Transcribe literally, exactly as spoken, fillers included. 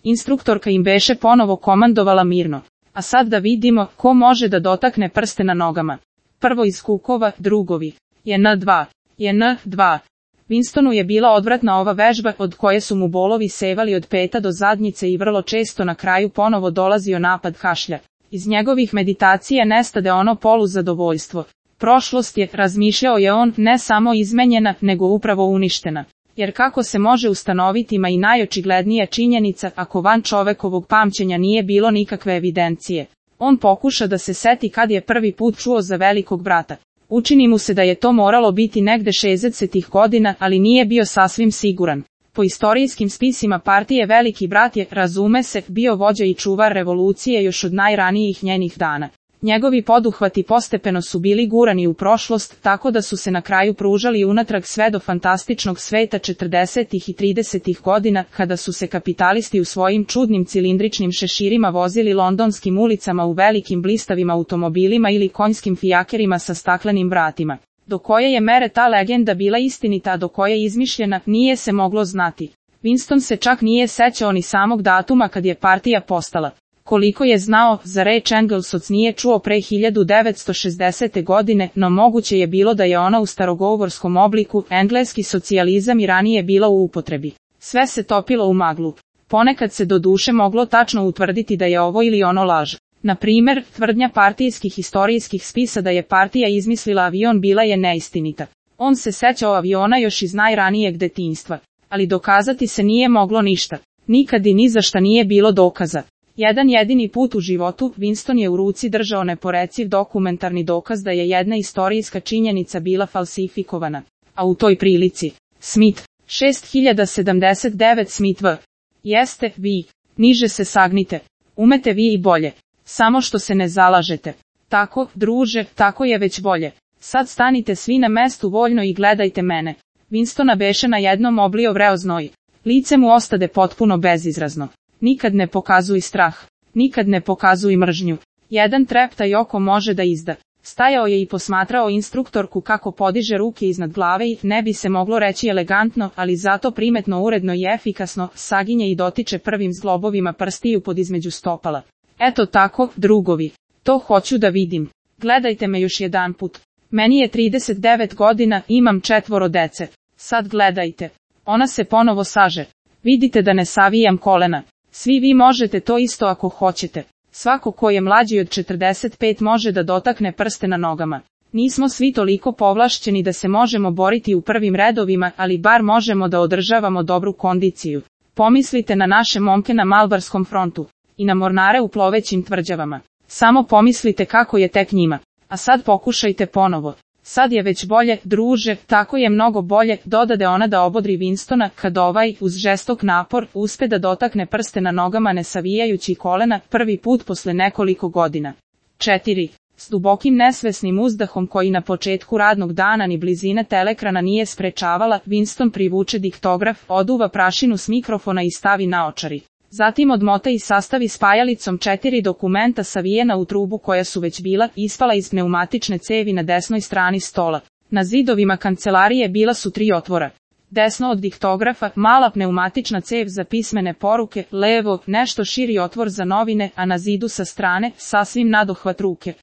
Instruktorka im beše ponovo komandovala mirno. A sad da vidimo ko može da dotakne prste na nogama. Prvo iz kukova, drugovi. Je en dva. Je en dva. Winstonu je bila odvratna ova vežba od koje su mu bolovi sevali od peta do zadnjice i vrlo često na kraju ponovo dolazio napad kašlja. Iz njegovih meditacija nestade ono poluzadovoljstvo. Prošlost je, razmišljao je on, ne samo izmenjena, nego upravo uništena. Jer kako se može ustanoviti ma i najočiglednija činjenica ako van čovekovog pamćenja nije bilo nikakve evidencije. On pokuša da se seti kad je prvi put čuo za velikog brata. Učini mu se da je to moralo biti negde šezdesetih godina, ali nije bio sasvim siguran. Po istorijskim spisima partije Veliki brat je, razume se, bio vođa i čuvar revolucije još od najranijih njenih dana. Njegovi poduhvati postepeno su bili gurani u prošlost, tako da su se na kraju pružali unatrag sve do fantastičnog sveta četrdesetih i tridesetih godina, kada su se kapitalisti u svojim čudnim cilindričnim šeširima vozili londonskim ulicama u velikim blistavim automobilima ili konjskim fijakerima sa staklenim vratima. Do koje je mere ta legenda bila istinita, a do koje je izmišljena, nije se moglo znati. Winston se čak nije sećao ni samog datuma kad je partija postala. Koliko je znao, za reč Englesoc nije čuo pre hiljadu devetsto šezdesete. godine, no moguće je bilo da je ona u starogovorskom obliku, engleski socijalizam i ranije bila u upotrebi. Sve se topilo u maglu. Ponekad se do duše moglo tačno utvrditi da je ovo ili ono laž. Na primer, tvrdnja partijskih historijskih spisa da je partija izmislila avion bila je neistinita. On se sećao aviona još iz najranijeg detinjstva. Ali dokazati se nije moglo ništa. Nikad i ni za šta nije bilo dokaza. Jedan jedini put u životu, Winston je u ruci držao neporeciv dokumentarni dokaz da je jedna istorijska činjenica bila falsifikovana. A u toj prilici, Smith, šest hiljada sedamdeset devet Smith V. Jeste, vi. Niže se sagnite. Umete vi i bolje. Samo što se ne zalažete. Tako, druže, tako je već bolje. Sad stanite svi na mestu voljno i gledajte mene. Winstona beše na jednom oblio vreo znoj. Lice mu ostade potpuno bezizrazno. Nikad ne pokazuj strah. Nikad ne pokazuj mržnju. Jedan treptaj oko može da izda. Stajao je i posmatrao instruktorku kako podiže ruke iznad glave i, ne bi se moglo reći elegantno, ali zato primetno uredno i efikasno, saginje i dotiče prvim zglobovima prstiju pod između stopala. Eto tako, drugovi. To hoću da vidim. Gledajte me još jedanput. Meni je trideset devet godina, imam četvoro dece. Sad gledajte. Ona se ponovo saže. Vidite da ne savijam kolena. Svi vi možete to isto ako hoćete. Svako ko je mlađi od četrdeset pet može da dotakne prste na nogama. Nismo svi toliko povlašćeni da se možemo boriti u prvim redovima, ali bar možemo da održavamo dobru kondiciju. Pomislite na naše momke na Malbarskom frontu. I na mornare u plovećim tvrđavama. Samo pomislite kako je tek njima. A sad pokušajte ponovo. Sad je već bolje, druže, tako je mnogo bolje, dodade ona da obodri Winstona, kad ovaj, uz žestok napor, uspe da dotakne prste na nogama ne savijajući kolena, prvi put posle nekoliko godina. četiri. S dubokim nesvesnim uzdahom koji na početku radnog dana ni blizina telekrana nije sprečavala, Winston privuče diktograf, oduva prašinu s mikrofona i stavi naočari. Zatim odmota i sastavi spajalicom četiri dokumenta savijena u trubu koja su već bila ispala iz pneumatične cevi na desnoj strani stola. Na zidovima kancelarije bila su tri otvora. Desno od diktografa, mala pneumatična cev za pismene poruke, levo, nešto širi otvor za novine, a na zidu sa strane, sasvim nadohvat ruke,